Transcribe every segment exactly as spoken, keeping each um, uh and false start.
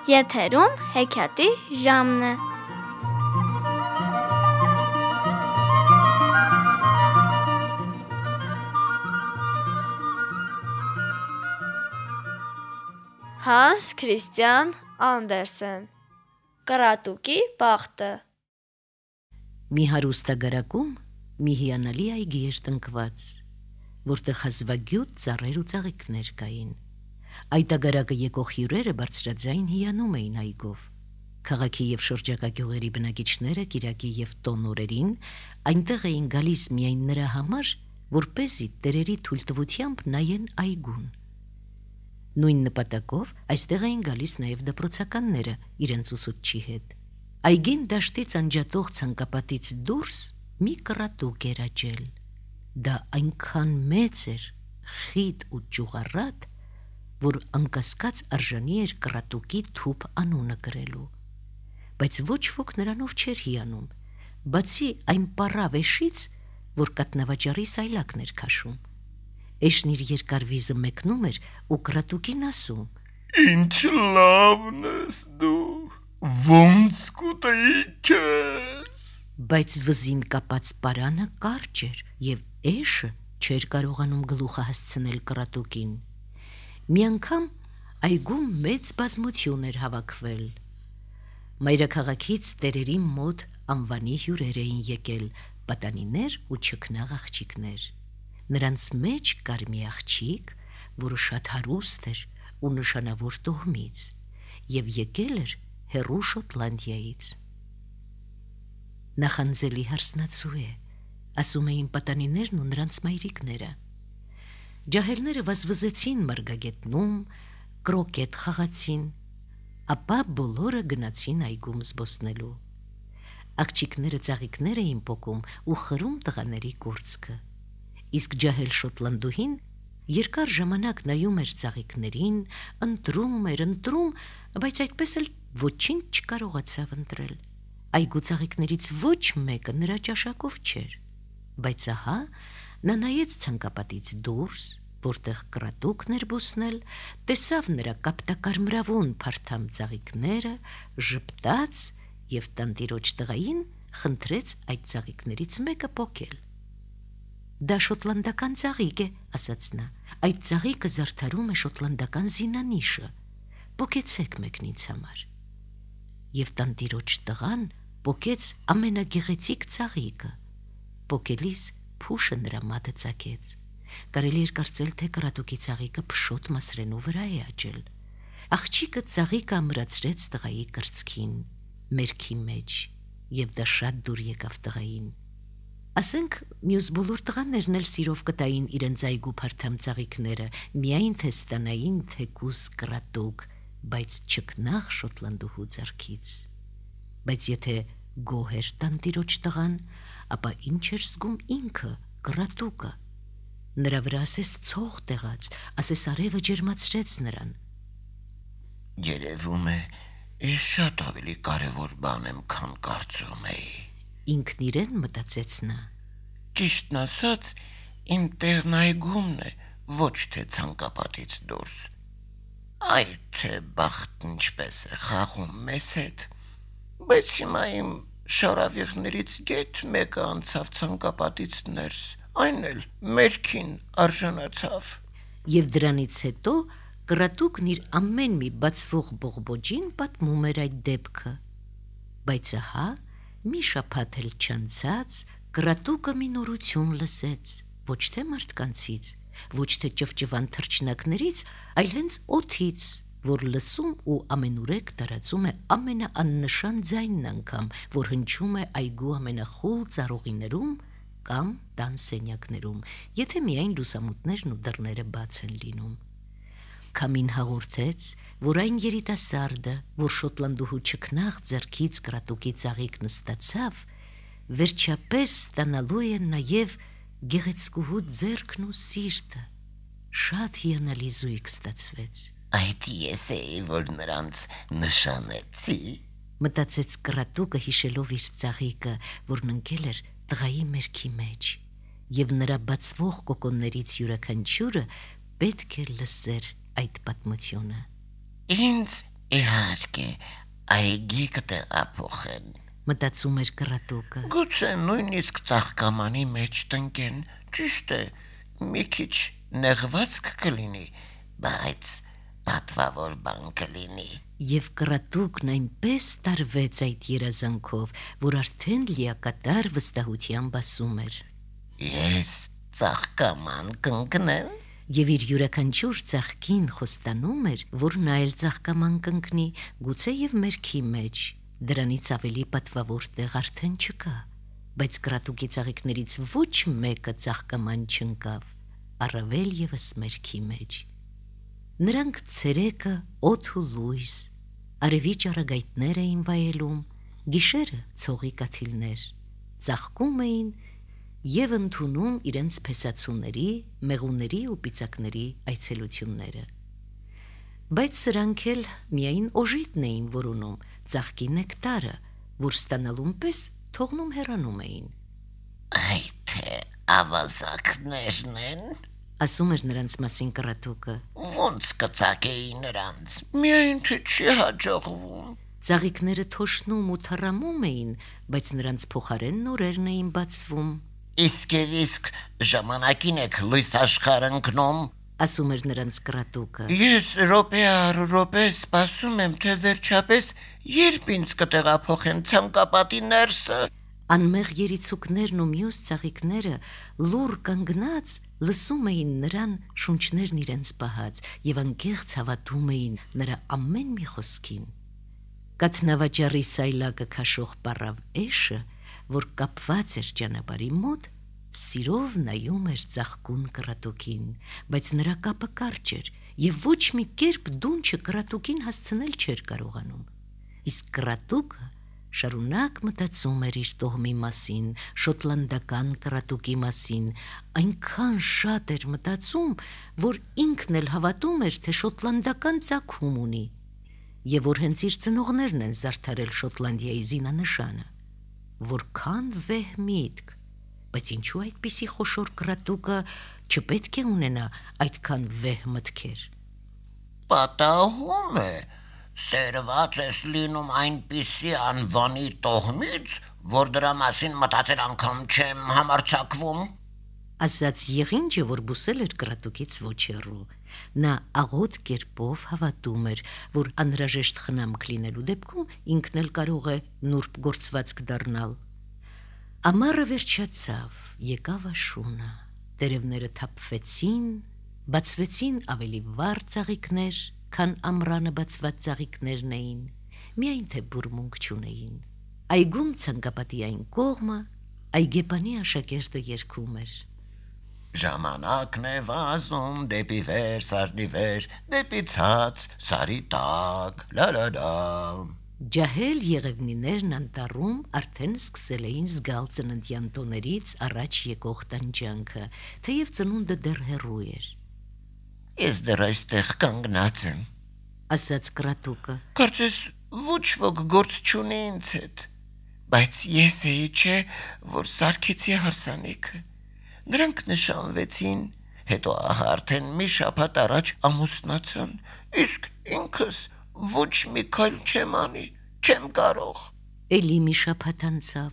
Եթերում հեքիաթի ժամն է։ Հանս Քրիստիան Անդերսեն Կռատուկի բախտը։ Մի հարուստագարակում մի հիանալի այգի էր տնկված, որտեղ հազվագյուտ ծառեր ու ծաղիկներ կային։ Այդ ագարակը եկող հյուրերը բարձրաձայն հիանում էին այգով։ Քաղաքի և շրջակա գյուղերի բնակիչները կիրակի և տոն օրերին այնտեղ էին գալիս միայն նրա համար, որպեսզի տերերի թույլտվությամբ նայեն այգուն։ Նույն նպատակով այստեղ էին գալիս նաև դպրոցականները իրենց ուսուցչի հետ։ Այգին դաշտից անջատող ցանկապատից դուրս մի կռատուկ էր աճել։ Դա այնքան մեծ էր, խիտ ու ճյուղառատ, որ անկասկած արժանի էր կռատուկի թուփ անունը կրելու։ Բայց ոչ ոք նրանով չէր հիանում, բացի այն պառավ էշից, որ կաթնավաճառի սայլակն էր քաշում։ Էշն իր երկար վիզը մեկնում էր ու կռատուկին ասում. «Ինչ լավն ես դու, ոնց կուտեի քեզ»։ Բայց վզին կապած պարանը կարճ էր, և էշը չէր կարողանում գլուխը հասցնել կռատուկին։ Մի անգամ այգում մեծ բազմություն էր հավաքվել։ Մայրաքաղաքից տերերի մոտ անվանի հյուրեր էին եկել, պատանիներ ու չքնաղ աղջիկներ։ Նրանց մեջ կար մի աղջիկ, որը շատ հարուստ էր ու նշանավոր տոհմից, և եկել էր հեռու Շոտլանդիայից։ Նախանձելի հարսնացու է, ասում էին պատանիներն ու նրանց մայրիկները։ Ջահելները վազվզեցին մարգագետնում, կրոկետ խաղացին, ապա բոլորը գնացին այգում զբոսնելու։ Աղջիկները ծաղիկներ էին պոկում ու խրում տղաների կուրծքը, իսկ ջահել շոտլանդուհին երկար ժամանակ նայում էր ծաղիկներին, ընտրում էր, ընտրում, բայց այդպես էլ ոչինչ չկարողացավ ընտրել։ Այգու ծաղիկներից ոչ մեկը նրա ճաշակով չէր, բայց ահա նա նայեց ցանկապատից դուրս, որտեղ կռատուկն էր բուսնել, տեսավ նրա կապտակարմրավուն փարթամ ծաղիկները, ժպտաց և տանտիրոջ տղային խնդրեց այդ ծաղիկներից մեկը պոկել։ «Դա շոտլանդական ծաղիկ է», ասաց նա, «այդ ծաղիկը զարդարում է շոտլանդական զինանիշը, պոկեցեք մեկն ինձ համար»։ Եվ տանտիրոջ տղան պոկեց ամենագեղեցիկ ծաղիկը, պոկելիս փուշը նրա մատը ծակեց։ Կարելի էր կարծել, թե կռատուկի ծաղիկը փշոտ մասրենու վրա է աճել։ Աղջիկը ծաղիկը ամրացրեց տղայի կրծքին, մերքի մեջ, և դա շատ դուր եկավ տղային։ Ասենք մյուս բոլոր տղաներն էլ սիրով կտային իրենց այգու փարթամ ծաղիկները, միայն թե ստանային թեկուզ կռատուկ, բայց չքնաղ շոտլանդուհու ձեռքից։ Բայց եթե գոհ էր տանտիրոջ տղան, ապա ինչ էր զգում ինքը, կռատուկը։ Նրա վրա ասես ցող տեղաց, ասես արևը ջերմացրեց նրան։ Երևում է, ես շատ ավելի կարևոր բան եմ, քան կարծում էի։ Ինքն իրեն մտածեց նա։ Ճիշտն ասած, իմ տեղն այգումն է, ոչ թե ցանկապատից դուրս։ Այ թե բախտն ինչպես է խաղում մեզ հետ։ Բայց հիմա իմ շարավիղներից գեթ մեկը անցավ ցանկապատից ներս, այն էլ մերքին արժանացավ։ Եվ դրանից հետո կռատուկն իր ամեն մի բացվող բողբոջին պատմում էր այդ դեպքը։ Բայց ահա մի շաբաթ էլ չանցած կռատուկը մի նորություն լսեց, ոչ թե մարդկանցից, ոչ թե ճվճվան թռչնակներից, այլ հենց օդից, որ լսում ու ամենուրեք տարածում է ամենաաննշան ձայնն անգամ, որ հնչում է այգու ամենախուլ ծառուղիներում կամ տան սենյակներում, եթե միայն լուսամուտներն ու դռները բաց են լինում։ Քամին հաղորդեց, որ այն երիտասարդը, որ շոտլանդուհու չքնաղ ձեռքից կռատուկի ծաղիկն ստացավ, վերջապես ստանալու է նաև գեղեցկուհու ձեռքն ու սիրտը։ Շատ հիանալի զույգ ստացվեց։ Այդ ես էի, որ նրանց նշանեցի, մտածեց կռատուկը հիշելով իր ծաղիկը, որն ընկել էր տղայի մերքի մեջ, և նրա բացվող կոկոններից յուրաքանչյուրը պետք է լսեր այդ պատմությունը։ Ինձ Իհարկե, այգի կտեղափոխեն։ Մտածում էր կռատուկը։ Գուցե նույնիսկ ծաղկամանի մեջ տնկեն, ճիշտ է, մի քիչ նեղվածք կլինի, բայց պատվավոր բան կլինի։ Եվ կռատուկն այնպես տարվեց այդ երազանքով, որ արդեն լիակատար վստահությամբ ասում էր. Ես ծաղկաման կընկնեմ։ Եվ իր յուրաքանչյուր ծաղկին խոստանում էր, որ նա էլ ծաղկաման կընկնի, գուցե եւ մերքի մեջ։ Դրանից ավելի պատվավոր տեղ արդեն չկա, բայց կռատուկի ծաղիկներից ոչ մեկը ծաղկաման չընկավ, առավել եւս մերքի մեջ։ Նրանք ցերեկը օդ ու լույս, արևի ճառագայթներ էին վայելում, գիշերը ցողի կաթիլներ, ծաղկում էին եւ ընդունում իրենց փեսացուների, մեղուների ու պիծակների այցելությունները։ Բայց սրանք էլ միայն օժիտն էին որոնում, ծաղկի նեկտարը, որ ստանալուն պես թողնում հեռանում էին։ Այ թե ավազակներն են, ասում էր նրանց մասին կռատուկը։ ոնց կծակեի նրանց, միայն թե չի հաջողվում։ Ծաղիկները թոշնում ու թռամում էին, բայց նրանց փոխարեն նորերն էին բացվում։ Իսկ եւ իսկ ժամանակին եք լույս աշխարհ ընկնում, ասում էր նրանց կռատուկը։ Ես րոպե առ րոպե սպասում եմ, թե վերջապես երբ ինձ կտեղափոխեն ցանկապատի ներսը։ Անմեղ երիցուկներն ու մյուս ծաղիկները լուր կանգնած լսում էին նրան շունչներն իրենց պահած եւ անկեղծ հավատում էին նրա ամեն մի խոսքին։ Կաթնավաճառի սայլակը քաշող պարավ էշը, որ կապված էր ճանապարհի մոտ, սիրով նայում էր ծաղկուն կռատուկին, բայց նրա կապը կարճ էր եւ ոչ մի կերպ դունչը կռատուկին հասցնել չէր կարողանում։ Իսկ կռատուկը շարունակ մտածում էր իր տոհմի մասին, շոտլանդական կռատուկի մասին, այնքան շատ էր մտածում, որ ինքն էլ հավատում էր, թե շոտլանդական ծագում ունի, եւ որ հենց իր ծնողներն են զարդարել Շոտլանդիայի զինանշանը։ Որքան վեհ միտք, բայց ինչու այդպիսի խոշոր կռատուկը չպետք է ունենա այդքան վեհ մտքեր։ Պատահում է, սերված ես լինում այնպիսի անվանի տոհմից, որ դրա մասին մտածել անգամ չեմ համարձակվում, ասաց եղինջը, որ բուսել էր կռատուկից ոչ հեռու։ Նա աղոտ կերպով հավատում էր, որ անհրաժեշտ խնամք լինելու դեպքում ինքն էլ կարող է նուրբ գործվածք դառնալ։ Ամառը վերջացավ, եկավ աշունը, տերևները թափվեցին, բացվեցին ավելի վառ ծաղիկներ, քան ամռանը բացված ծաղիկներն էին, միայն թե բուրմունք չունեին։ Այգում ցանկապատի այն կողմը այգեպանի աշակերտը երգում էր. Ժամանակն է վազում դեպի վեր, սարի վեր, դեպի ցած, սարի տակ, լա լա լա։ Ջահել եղևնիներն անտառում արդեն սկսել էին զգալ ծննդյան տոներից առաջ եկող տանջանքը, թեև ծնունդը դեռ հեռու էր։ Ես դեռ այստեղ կանգնած եմ, ասաց կռատուկը։ Կարծես ոչ ոք գործ չունի ինձ հետ, բայց ես էի չէ, որ սարքեցի հարսանիքը։ Նրանք նշանվեցին, հետո ահա արդեն մի շաբաթ առաջ ամուսնացան, իսկ ինքս ոչ մի քայլ չեմ անի, չեմ կարող։ Էլի մի շաբաթ անցավ,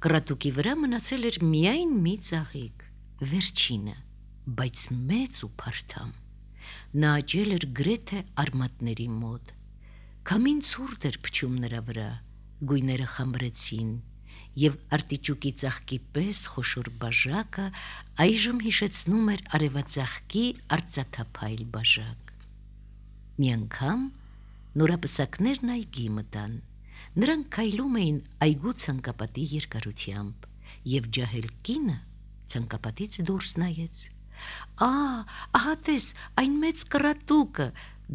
կռատուկի վրա մնացել էր միայն մի ծաղիկ, վերջինը, բայց մեծ ու փարթամ։ Նա աճել էր գրեթե արմատների մոտ։ Քամին ցուրտ էր փչում նրա վրա, գույները խամրեցին, եւ արտիճուկի ծաղկի պես խոշոր բաժակը այժմ հիշեցնում էր արևածաղկի արծաթափայլ բաժակ։ Մի անգամ նորապսակներն այգի մտան, նրանք քայլում էին այգու ցանկապատի երկարությամբ, եւ ջահել կինը ցանկապատից դուրս նայեց։ Ա, ահա տես, այն մեծ կռատուկը,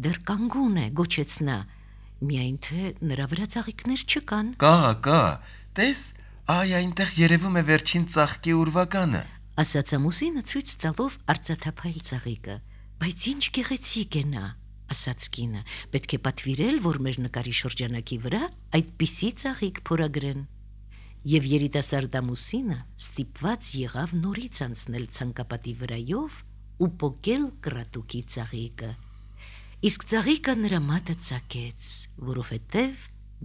դեռ կանգուն է, գոչեց նա, միայն թե նրա վրա ծաղիկներ չկան։ Կա, կա, տես, այ այնտեղ երևում է վերջին ծաղկի ուրվականը, ասաց ամուսինը ցույց տալով արծաթափայլ ծաղիկը։ Բայց ինչ գեղեցիկ է նա, ասաց կինը, պետք է պատվիրել, որ մեր նկարի շրջանակի վրա այդպիսի ծաղիկ փորագրեն։ Եվ երիտասարդ ամուսինը ստիպված եղավ նորից անցնել ցանկապատի վրայով ու պոկել կռատուկի ծաղիկը։ Իսկ ծաղիկը նրա մատը ծակեց, որովհետև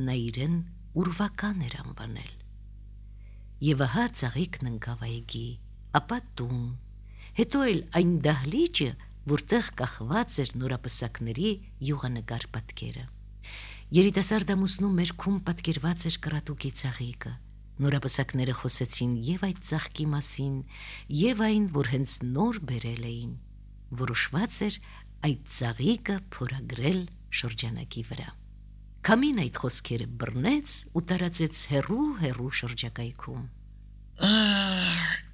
նա իրեն ուրվական էր անվանել։ Եվ ահա ծաղիկն ընկավ այգի, ապա տուն, հետո էլ այն դահլիճը, որտեղ կախված էր նորապսակների յուղանկար պատկերը։ Երիտասարդ ամուսնու մերքում պատկերված էր կռատուկի ծաղիկը։ Նորապսակները խոսեցին եւ այդ ծաղկի մասին, եւ այն, որ հենց նոր բերել էին։ Որոշված էր այդ ծաղիկը փորագրել շրջանակի վրա։ Քամին այդ խոսքերը բռնեց ու տարածեց հեռու-հեռու շրջակայքում։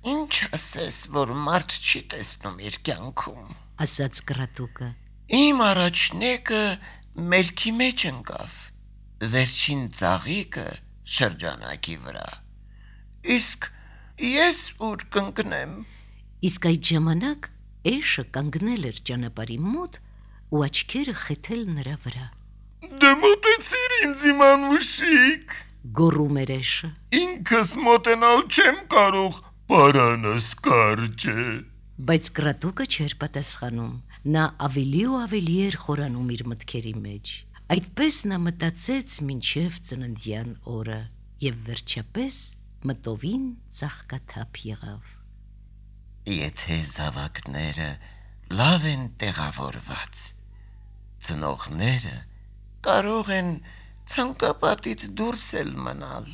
Ինչ ասես, որ մարդ չի տեսնում իր կյանքում, ասաց կռատուկը։ Իմ առաջնեկը մերքի մեջ ընկավ, վերջին ծաղիկը շրջանակի վրա, իսկ ես ուր կընկնեմ։ Իսկ այդ ժամանակ էշը կանգնել էր ճանապարհի մոտ ու աչքերը խեթել նրա վրա։ Դե մոտեցիր ինձ իմ անուշիկ, գոռում էր էշը։ Ինքս մոտենալ չեմ կարող, պարանս կարճ է։ Բայց կռատուկը չէր պատասխանում, նա ավելի ու ավելի էր խորանում իր մտքերի մեջ։ Այդպես նա մտածեց մինչև ծննդյան օրը եւ վերջապես մտովին ծաղկաթափ եղավ։ Եթե զավակները լավ են տեղավորված, ծնողները կարող են ցանկապատից դուրս էլ մնալ։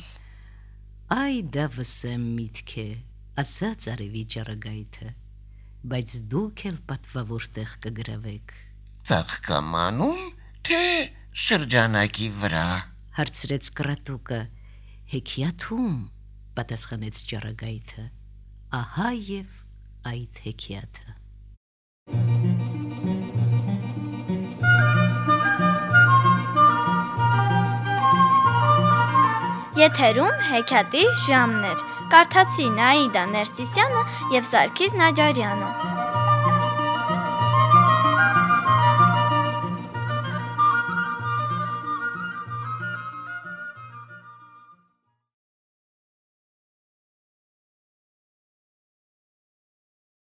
Այ դա վսեմ միտք է, ասաց արևի ճառագայթը, բայց դուք էլ պատվավոր տեղ կգրավեք։ Ծաղկամանում, թե շրջանակի վրա, հարցրեց կռատուկը։ Հեքիաթում, պատասխանեց ճառագայթը, ահա եւ այդ հեքիաթը։ Եթերում հեքիաթի ժամն էր։ Կարդացին Աիդա Ներսիսյանը եւ Սարգիս Նաջարյանը։